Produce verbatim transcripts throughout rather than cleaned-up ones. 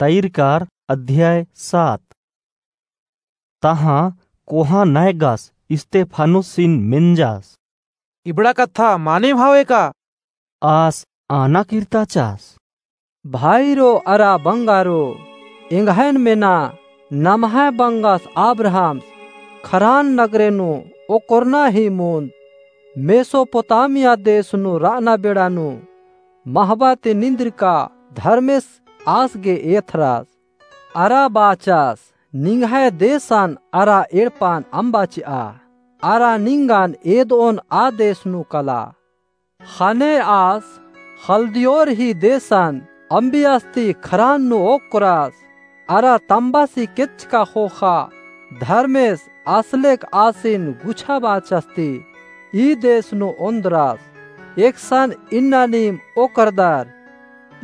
तैरकार अध्याय सात। तहाँ कोहाँ नैगस स्तेफानोसिन मेंजस, इबड़ा कत्था मानिम हवे का? आस आना किर्ताचस, भाईरो अरा बंगारो, एंग्हैन मेना, नम्है बंगस अब्राहम्स खरान नगरे नू ओकोरना ही मुन्द मेसोपोतामिया देश नू रअना बेड़ा नू महबा ती निंद्रिका धर्मेस आस गे एथरस। अरा बाचस, निंग्है देशन अरा एड़पन अम्बा चिआ, अरा निंगन एदओन आ देश नू कला। ख़ने आस खलदियोर ही देशन अम्बियस ती खरान नू ओक्करस, अरा तम्बासी केचका ख़ोख़ा धर्मेस आसलेक आसिन गुछाबाचस ती ई देश नू ओन्द्रस। एकसन इन्ना नीम ओकरदर,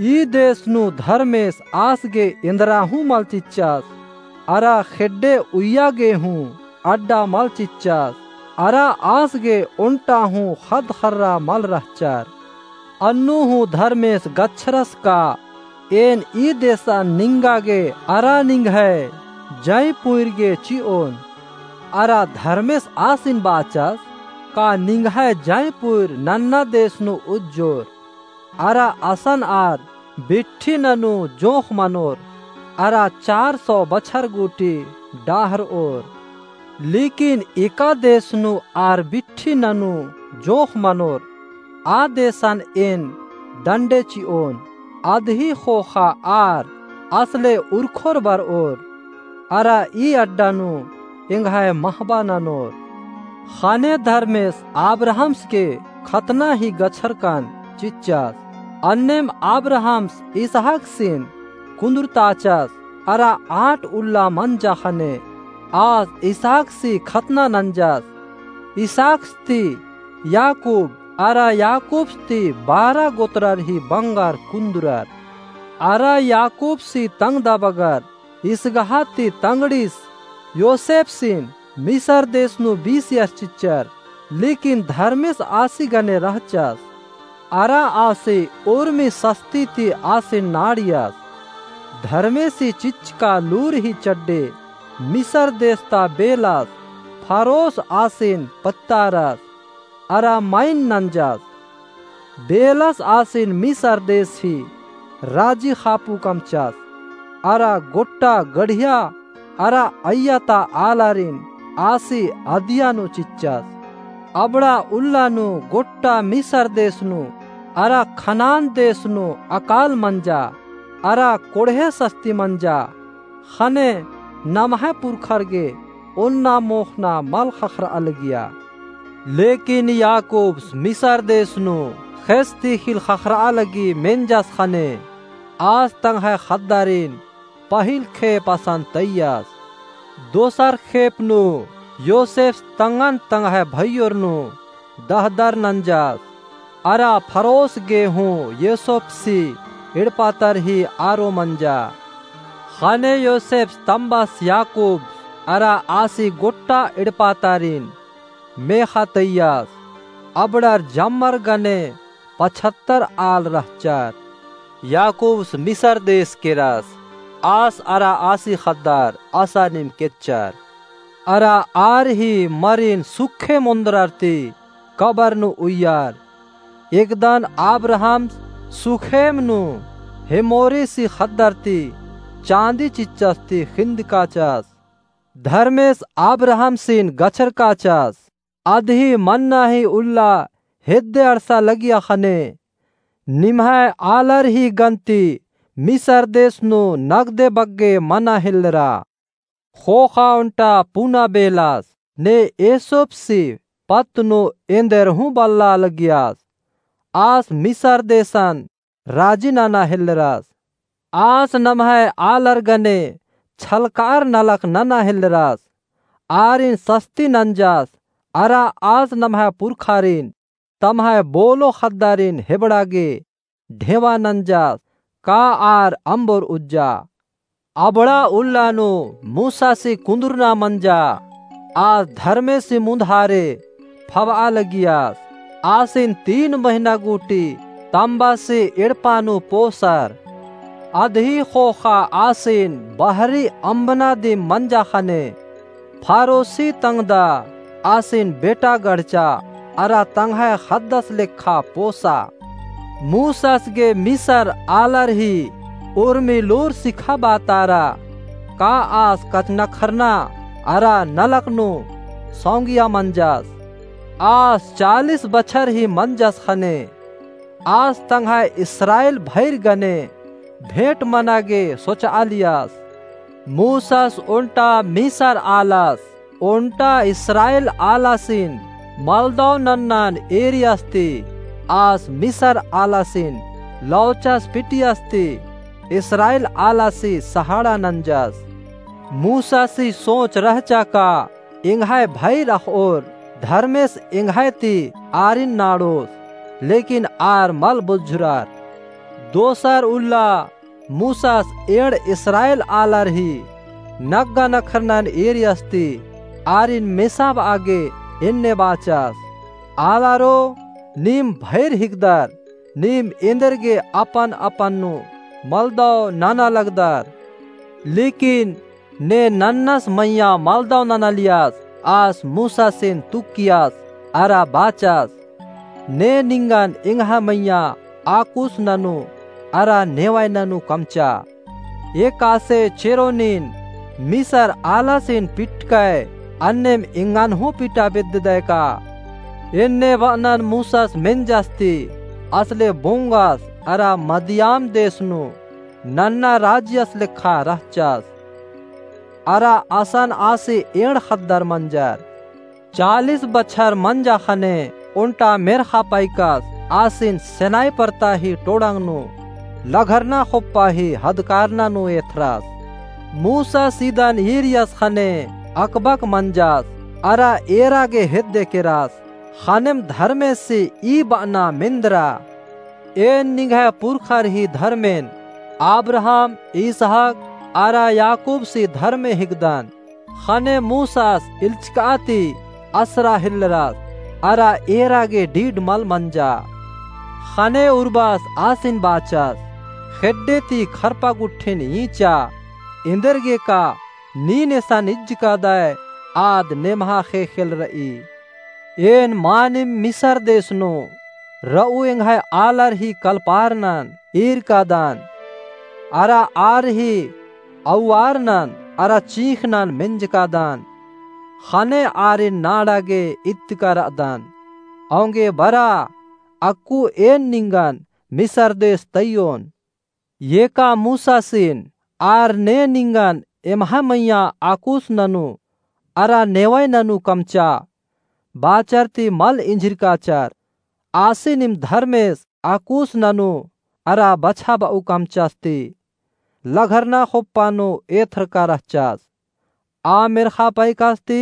ई देश नू धर्मेस आस गे एन्द्रा हूँ मल चिच्चस, अरा ख़ेड्डे उइया गे हूँ अड्डा मल चिच्चस, अरा आस गे ओन्टा हूँ ख़द्द ख़र्रा मल रहचर। अन्नु हूँ धर्मेस गच्छरस का, एन ई देशन निंगा गे अरा निंग्है जैं पुइर गे चिओन। अरा धर्मेस आसिन बाचस का, निंग्है जैं पुइर नन्ना देश नू उज्जोर। अरा असन आर बिट्ठी ननू जोंख़ मनोर, अरा चार सौ बछर गूटी डाहरओर। लेकिन एका देश नू आर बिट्ठी ननू जोंख़ मनोर, आ देशन एन दंडे चिओन। अदही ख़ोख़ा आर असले उरखोर बरओर, अरा ई अड्डा नू एंग्है महबा ननोर। ख़ने धर्मेस अब्राहम्स गे खतना ही गच्छरकन चिच्चस। अन्नेम अब्राहम्स इसहाकसिन कुन्दुरताचस, अरा आठ उल्ला मंजा ख़ने आस इसहाकसी खतना नंजस। इसहाकस ती याकूब, अरा याकूबस ती बारह गोत्रर ही बंगर कुन्दुरर। अरा याकूबसी तंगदा बगर इसगहा ती तंगड़िस योसेफसिन मिसर देश नू बीसियर चिच्चर, लेकिन धर्मेस आसी गने रहचस। अरा आसी उर्मी सस्ती ती आसिन नाड़ियस। धर्मेसी चिच्चका लूर ही चड्डे मिसर देश ता बेलस फरोस आसिन पत्तारस, अरा मइन नंजस। बेलस आसिन मिसर देश ही राजी ख़ापू कमचस, अरा गोट्टा गढ़िया अरा अइय्या ता आलारिन आसी अदिया नू चिच्चस। अबड़ा उल्ला नू गोट्टा मिसर देश नू अरा खनान देश नू अकाल मंजा, अरा कोड़हे सस्ती मंजा। ख़ने नम्है पुरखर गे ओन्ना मोख़ना मल ख़क्खरआ लगिया। लेकिन याकूब्स मिसर देश नू ख़ेस ती ख़िल ख़क्खरआ लगी मेंजस ख़ने आस तंग्है ख़द्दारिन पहिल खेप असन तइयस। दोसर खेप नू योसेफस तंगन तंग्है भइयोर नू दहदर नंजस। अरा फरोस गे हूँ योसेफसी एड़पा तर ही आरो मंजा। ख़ने योसेफस तम्बस याकूब अरा आसी गोट्टा एड़पा तारिन मेख़ा तइयस। अबड़र जम्मर गने पचहत्तर आल रहचर। याकूब्स मिसर देश केरस। आस अरा आसी ख़द्दर असानिम केच्चर। अरा आर ही मरिन सुख़ेम ओन्द्रर ती कबर नू उइयर। एकदन अब्राहम्स सुख़ेम नू हेमोरीसी ख़द्दर ती चाँदी चिच्चस ती ख़िंदकाचस। धर्मेस अब्राहम्सिन गछरकाचस। अदही मन्ना ही उल्ला हेद्दे अंड़सा लगिया ख़ने निम्है आलर ही गन्ती मिसर देश नू नगदे बग्गे मना हेल्लरा। ख़ोख़ा ओन्टा पुना बेलस ने एसोपसी पत्त नू एन्देर हूँ बल्ला लगियस। आस मिसर देशन राजी नना हेल्लरस। आस नम्है आलर गने छलकार नलख नना हेल्लरस। आरिन सस्ती नंजस, अरा आस नम्है पुरखारिन तम्है बोलो ख़द्दारिन हेबड़ा गे ढेवा नंजस, का आर अम्बोर उज्जा। अबड़ा उल्ला नू मूसासी कुन्दुरना मंजा, आस धर्मेसी मुन्धारे फबआ लगियस। आसिन तीन महिना गूटी तम्बासी एड़पा नू पोसर। अदही ख़ोख़ा आसिन बहरी अम्बना दिम मंजा ख़ने, फरोसी तंग्दा आसिन बेटा गड़चा अरा तंग्है ख़द्दस लेखा पोसा। मूसस गे मिसर आलर ही उर्मिलूर सिखाबातारा का आस कछनखरना अरा नलख नू सौंगिया मंजस। आस चालिस बछर ही मंजस ख़ने आस तंग्है इस्राएल भइर गने भेंट मना गे सोचआलियस। मूसस ओन्टा मिसर आलस ओन्टा इस्राएल आलासिन मलदौ नन्नन एरियस ती आस मिसर आलासिन लौचस पिटियस ती इस्राएल आलासी सहाड़ा नंजस। मूससी सोच रहचा का एंग्है भइर अख़ओर धर्मेस एंग्है ती आरिन नाड़ोस, लेकिन आर मल बुझुरर। दोसर उल्ला मूसस एंड़ इस्राएल आलर ही नग्गा नखरनन एरियस ती आरिन मेसाबआ गे एन्ने बाचस, आलारो, नीम भइर हिकदर, नीम एन्देरगे अपन अपन नू मलदौ नना लगदर। लेकिन ने नन्नस मइय्याँ मलदौ ननालियस, आस मूससिन तुक्कियस अरा बाचस, ने निंगन एंग्है मइय्याँ आकुस ननु अरा नेवय ननु कमचा। एकासे चेरो नीन मिसर आलासिन पिटकय अन्नेम एंगन हूँ पिटा बेद्ददय का? एन्ने बअनन मूसस मेंजस ती असले बोंगस अरा मदियाम देस नू नन्ना राजियस लेखा रहचस। अरा असन आसी एंड़ ख़द्दर मंजर। चालिस बछर मंजा ख़ने ओन्टा मेर्ख़ा पैकस आसिन सेनाई परता ही टोड़ंग नू लघरना ख़ोप्पा ही हदकारना नू एथरस। मूसस इदन ईरियस ख़ने अकबक मंजस अरा एरा गे हेद्दे केरस, ख़नेम धर्मेसी ई बअना मेन्दरा, एन निंग्है पुरखर ही धर्मेन, अब्राहम, इसहाक अरा याकूबसी धर्मे हिकदन। ख़ने मूसस इल्चकआ ती असरा हेल्लरस अरा एरा गे डीड मल मंजा। ख़ने उर्बस आसिन बाचस, ख़ेड्डे ती ख़रपा गुट्ठिन ईंचा, एन्देरगे का नीन एसन इज्जकादय आद नेम्हा ख़ेख़ेल रई। एन मानिम मिसर देस नू रऊ एंग्है आलर ही कलपारनन ईरकादन, अरा आर ही अउआरनन अरा चींख़नन मेंजकादन। ख़ने आरिन नाड़ा गे इत्तका रअदन। औंगे बरा, अक्कु एन निंगन मिसर देस तइयोन। एका मूससिन आर ने निंगन एम्है मइय्याँ आकुस ननु अरा नेवय ननु कमचा बाचर ती मल इंझिरकाचर। आसिनिम धर्मेस आकुस ननु अरा बछाबऊ कमचस ती लघरना ख़ोप्पा नू एथरका रहचस। आ मेर्ख़ा पैकस ती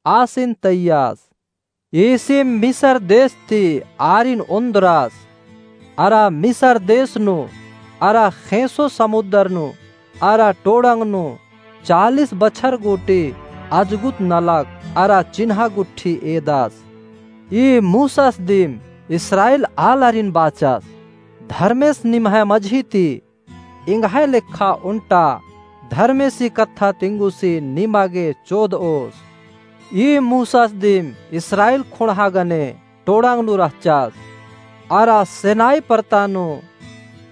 आसिन तइयस। ईसिम मिसर देस ती आरिन ओन्द्रस, अरा मिसर देस नू, अरा ख़ेंसो समुदर नू, अरा टोड़ंग नू चालिस बछर गूटी अजगुत नलख अरा चिन्हा गुट्ठी एदस। ई मूसस दिम इस्राएल आलारिन बाचस, धर्मेस निम्है मझी ती एंग्है लेखा ओन्टा धर्मेसी कत्था तिंगुसी निमा गे चोदओस। ई मूसस दिम इस्राएल ख़ोंड़हा गने टोड़ंग नू रहचस, अरा सेनाई परता नू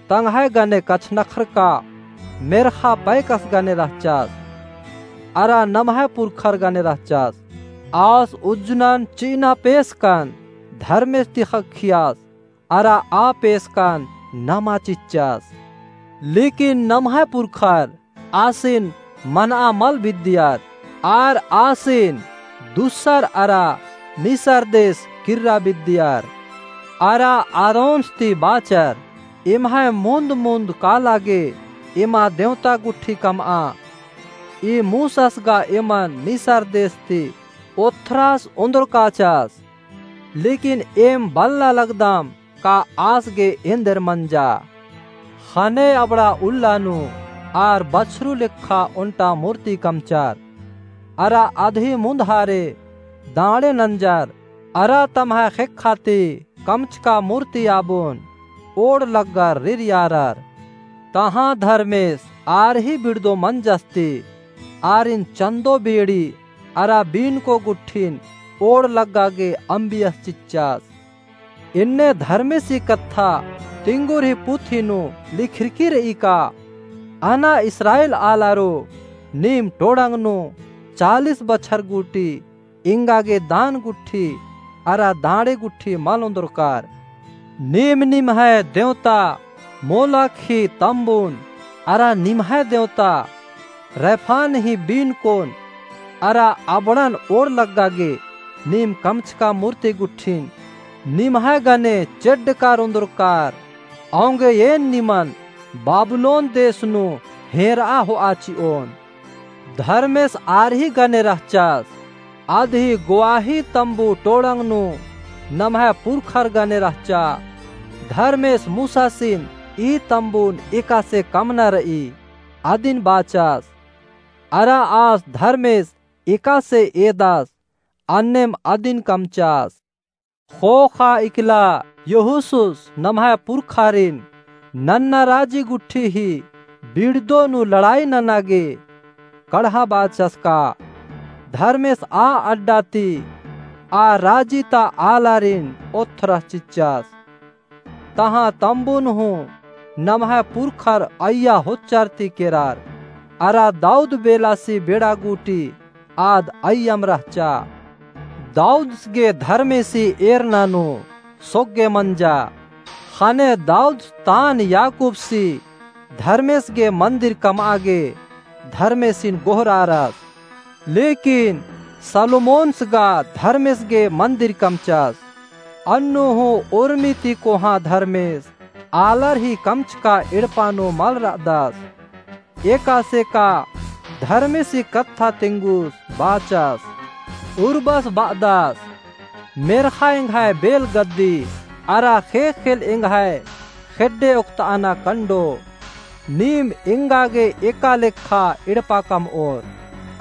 तंग्है गने कछनखरका मेर्ख़ा पैकस गने रहचस, अरा नम्है पुरखर गने रहचस। आस उज्जनन चिअना पेसकन धर्मेस ती ख़क्खियस, अरा आ पेसकन नमा चिच्चस। लेकिन नम्है पुरखर आसिन मनआ मल बिद्दियर, आर आसिन दुसर अरा मिसर देस किर्रा बिद्दियर। अरा आरोन्स ती बाचर, एम्है मुन्द मुन्द काला गे एमा देवता गुट्ठी कमआ। ई मूसस गा एमन मिसर देस ती ओथ्रस ओन्द्रकाचस। लेकिन एम बल्ला लगदम का आस गे एन्देर मंजा। ख़ने अबड़ा उल्ला नू आर बछरू लेखा ओन्टा मूर्ति कमचर। अरा अदही मुन्दहारे दाँड़े नंजर, अरा तम्है ख़ेक्खा ती कमचका मूर्ति आबोन ओड़ लग्गर रिरियारर। तहाँ धर्मेस आर ही बिड़दो मंजस ती, आरिन चन्दो बीड़ी अरा बीनको गुट्ठिन ओड़ लग्गा गे अम्बियस चिच्चस। एन्ने धर्मेसी कत्था तिंगुर ही पुथी नू लिखरकी र'ई का, अना इस्राएल आलारो, नीम टोड़ंग नू चालीस बछर गूटी एंगा गे दान गुट्ठी अरा दांड़े गुट्ठी मल ओन्दरकार। नीम निम्है देवता मोलख ही तम्बुन अरा निम्है देवता रेफान ही बीनकोन अरा अबड़न ओड़ लग्गा गे नीम कमचका मूर्ति गुट्ठिन निम्है गने चेड्डकार ओन्दरकार। औंगे एन निमन बाबुलोन देस नू हेर'आ हो'आ चि'ओन। धर्मेस आर ही गने रहचस, अद ही गुवाही तम्बु टोड़ंग नू नम्है पुरखर गने रहचा। धर्मेस मूसासिन ई तम्बुन एकासे कमना र'ई, अदिन बाचस। अरा आस धर्मेस एकासे एदस, अन्नेम अदिन कमचस। ख़ोख़ा इकला यहोसुस नम्है पुरखारिन नन्ना राजी गुट्ठी ही बिड़दो नू लड़ाई नना गे कड़हा बाचस का। धर्मेस आ अड्डा ती आ राजी ता आलारिन ओथरस चिच्चस। तहाँ तम्बुन हूँ नम्है पुरखर अइय्या होच्चर ती केरर, अरा दाऊद बेलासी बेड़ा गूटी आद अइय्यम रहचा। दाऊदस गे धर्मेसी एरना नू सोग्गे मंजा। ख़ने दाऊदस तान याकूबसी धर्मेस गे मन्दिर कम'आ गे धर्मेसिन गोहरारस। लेकिन सलोमोनस गा धर्मेस गे मन्दिर कमचस। अन्नु हूँ उर्मी ती कोहाँ धर्मेस आलर ही कमचका एड़पा नू मल र'अदस। एकासे का धर्मेसी कत्था तेंगुस बाचस। उर्बस ब'अदस, मेर्ख़ा एंग्है बेल गद्दी अरा ख़ेख़ेल एंग्है ख़ेड्डे ओक्त'अना कंडो। नीम एंगा गे एका लेखा एड़पा कम'ओर,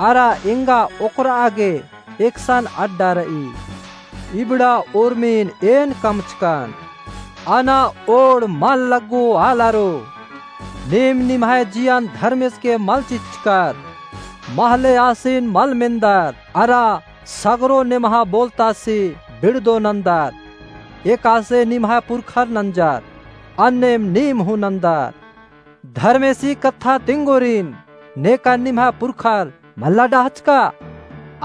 अरा एंगा ओक्त'आ गे एकसन अड्डा र'ई। इबड़ा उर्मिन एन कमचकन, अना ओड़ मल लग्गो आलारो। नीम निम्है जियन धर्मेस गे मल चिच्चकर, महले आसिन मल मेन्दर, अरा सगरो निम्है बोलतासी बिड़दो नन्दर। एकासे निम्है पुरखर नंजर, अन्नेम नीम हूँ नन्दर। धर्मेसी कत्था तिंगोरिन नेका निम्है पुरखर मल्ला डहचका।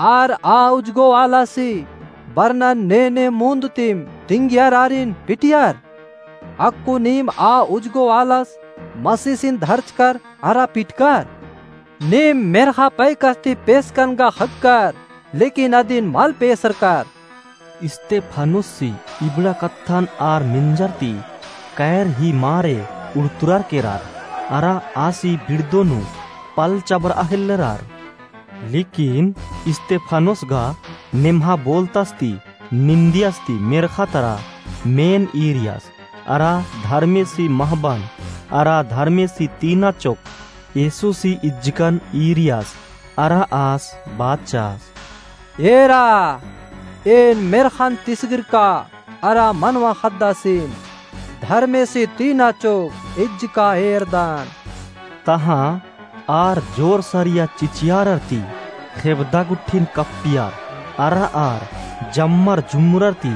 आर आ उजगो आलासी बरनन ने ने मुन्द तिम तिंगियर आरिन पिटियर। अक्कु नीम आ उजगो आलस मसीसिन धरचकर अरा पिटकर। नीम मेर्ख़ा पैकस ती पेसकन गा ख़क्कर, लेकिन अदिन मल पेसरकर। स्तेफानोससी इबड़ा कत्थन आर मेंजर ती कैर ही मारे उड़तुरर केरर, अरा आसी बिड़दो नू पल चबरआ हेल्लरर। लेकिन स्तेफानोस गा नेम्हा बोलतस ती निंदियस ती मेर्ख़ा तरा मेन ईरियस, अरा धर्मेसी महबन, अरा धर्मेसी तीना चोक येसुसी इज्जकन ईरियस, अरा आस बाचस। एरा, एन मेर्ख़न तिसगिरका अरा मनवा ख़द्दासिन धर्मेसी तीना चोक इज्जका एरदन। तहाँ आर जोर सरिया चिचियारर ती, ख़ेबदा गुट्ठिन कप्पियर, अरा आर जम्मर जुम्मरर ती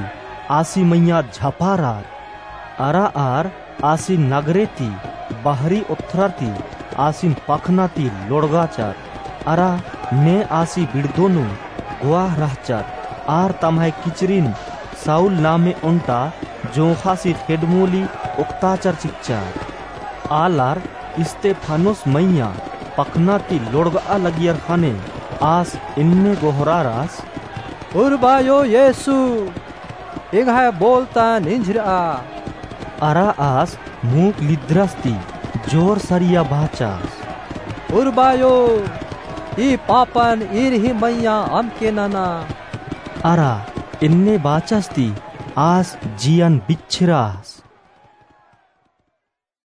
आसी मइय्याँ झपारर। अरा आर आसी नगरे ती बहरी ओथरर ती आसिन पखना ती लोड़गाचर। अरा ने आसी बिड़दो नू गोवाह रहचर। आर तम्है किचरिन साउल नामे ओन्टा जोंख़ासी ख़ेड्डमोली ओक्ताचर चिच्चर। आलर स्तेफानोस मइय्याँ पखना ती लोड़गआ लगियर ख़ने आस एन्ने गोहरारस, उर्बायो येसु, एंग्है बोलतन इंझिरआ। अरा आस मुख लिद्दरस ती जोर सरिया बाचस, उर्बायो, ई पापन ईर ही मइय्याँ अमके नना। अरा एन्ने बाचस ती आस जियन बिच्छिरस।